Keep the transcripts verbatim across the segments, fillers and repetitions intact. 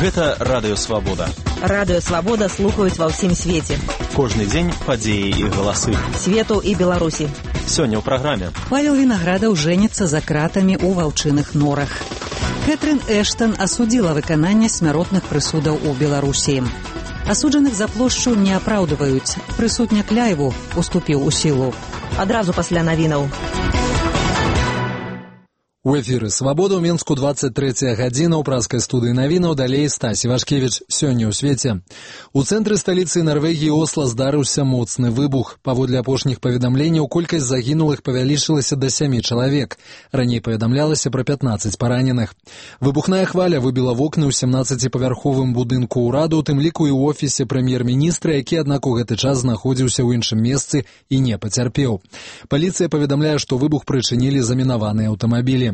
Гэта Радыё Свабода. Радыё Свабода слухаюць ва ўсім свеце. Кожны дзень падзеі і галасы. Свету і Беларусі. Сёння ў праграме. Павел Вінаградаў жэніцца за кратамі ў ваўчыных норах. Кэтрын Эштон асудзіла выкананне смяротных прысудаў у Беларусі. Асуджаных за плошчу не апраўдваюць. Прысуд Някляеву уступіў у сілу. Адразу пасля навінаў. У эфіры «Свабода» ў Менску двадцать третья гадзіна ў праскай студыі навінаў, далей Стась Івашкевіч. Сёння ў свеце. У цэнтры сталіцы Нарвегіі Осла здарыўся моцны выбух. Паводле апошніх паведамленняў, колькасць загінулых павялічылася да сямі чалавек. Раней паведамлялася пра пятнаццаць параненых. Выбухная хваля выбіла вокны ў сямнаццаціпавярховым будынку ўраду, у тым ліку і ў офісе прэм'ер-міністра, які, аднак, у гэты час знаходзіўся ў іншым месцы і не пацярпеў. Паліцыя паведамляе, што выбух прычынілі замінаваныя аўтамабілі.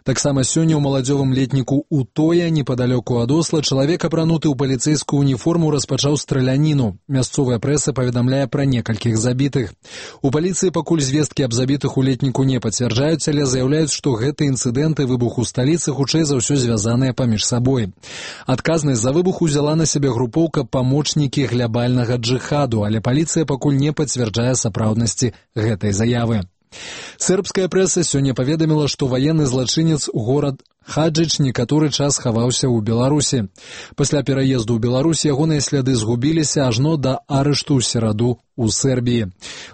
Таксама сёння ў маладзёвым летніку Утоя, непадалёку ад Осла, чалавек, апрануты ў паліцэйскую уніформу, распачаў страляніну. Мясцовая прэса паведамляе пра некалькіх забітых. У паліцыі пакуль звесткі аб забітых у летніку не пацвярджаюць, але заяўляюць, што гэты інцыдэнт і выбух у сталіцы хутчэй за ўсё звязаныя паміж сабой. Адказнасць за выбух узяла на сябе групоўка «Памочнікі глябальнага джыхаду», але паліцыя пакуль не пацвярджае сапраўднасці гэтай заявы. Сербская прэса сёння паведаміла, што ваенны злачынец горад Хаджыч некаторы час хаваўся ў Беларусі. Пасля пераезду ў Беларусь ягоныя сляды згубіліся ажно да арышту ў сераду у Сербіі.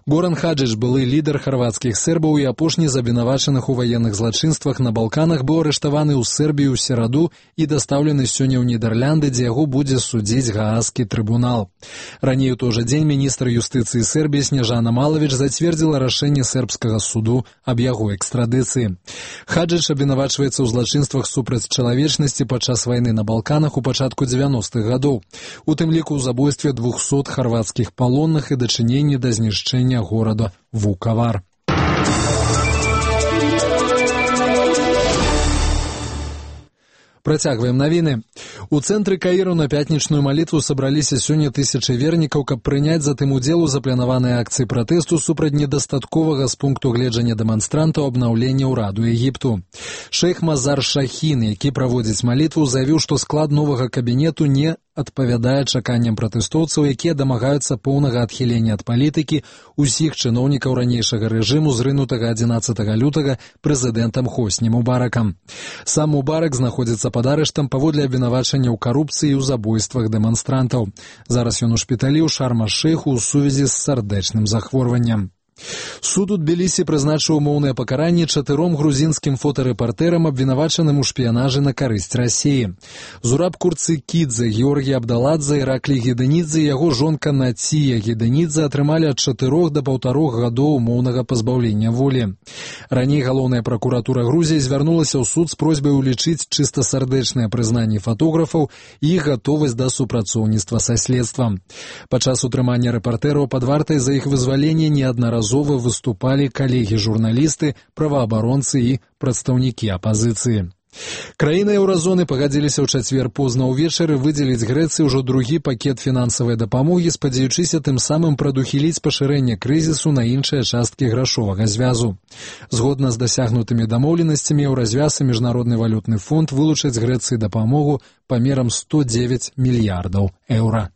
Горан Хаджыч, былы лідар харвацкіх сербаў і апошні з абвінавачаных у ваенных злачынствах на Балканах, быў арыштаваны ў Сербію ў сераду і дастаўлены сёння ў Нідерланды, дзе яго будзе судзіць Гаазскі трыбунал. Раней у той жа дзень міністр юстыцыі Сербіі Снежана Малавіч зацвердзіла рашэнне сербскага суду аб яго экстрадыцыі. Хаджыч абвінавачваецца ў злачынствах супраць чалавечнасці падчас вайны на Балканах у пачатку дзевяностых гадоў, у тым ліку ў забойстве двухсот харвацкіх палонных і дачыненні да знішчэння горада Вукавар. Працягваем навіны. У цэнтры Каіру на пятнічную малітву сабраліся сёння тысячы вернікаў, каб прыняць затым удзел у запланаванай акцыі пратэсту супраць недастатковага з пункту гледжання дэманстрантаў абнаўлення ўраду Егіпту. Шэйх Мазар Шахін, які праводзіць малітву, заявіў, што склад новага кабінету не адпавядае чаканням пратэстоўцаў, якія дамагаюцца поўнага адхілення ад палітыкі ўсіх чыноўнікаў ранейшага рэжыму, зрынутага адзінаццатага лютага прэзідэнтам Хосні Мубаракам. Сам Мубарак знаходзіцца пад арыштам паводле абвінавачання ў карупцыі і ў забойствах дэманстрантаў. Зараз ён у шпіталі ў Шарм-аш-Шэйху ў сувязі з сардэчным захворваннем. Суд у Тбілісі прызначыў умоўнае пакаранне чатыром грузінскім фотарэпартэрам, абвінавачаным у шпіянажы на карысць Расіі. Зураб Курцыкідзе, Георгій Абдаладзе, Іраклій Гедэнідзе і яго жонка Нація Гедэнідзе атрымалі ад чатырох да паўтарох гадоў умоўнага пазбаўлення волі. Раней галоўная пракуратура Грузіі звярнулася ў суд з просьбай улічыць чыста сардэчныя прызнанні фатографаў і іх гатовасць да супрацоўніцтва са следствам. Падчас утрымання рэпартэраў пад вартай за іх вызваленне неаднаразова выступалі калегі-журналісты, праваабаронцы і прадстаўнікі апазіцыі. Краіны еўразоны пагадзіліся ў чацвер позна ўвечары выдзеліць Грэцыі ўжо другі пакет фінансавай дапамогі, спадзяючыся тым самым прадухіліць пашырэнне крызісу на іншыя часткі грашовага звязу. Згодна з дасягнутымі дамоўленасцямі, еўразвяз і Міжнародны валютны фонд вылучаць Грэцыі дапамогу памерам сто дзевяць мільярдаў еўра.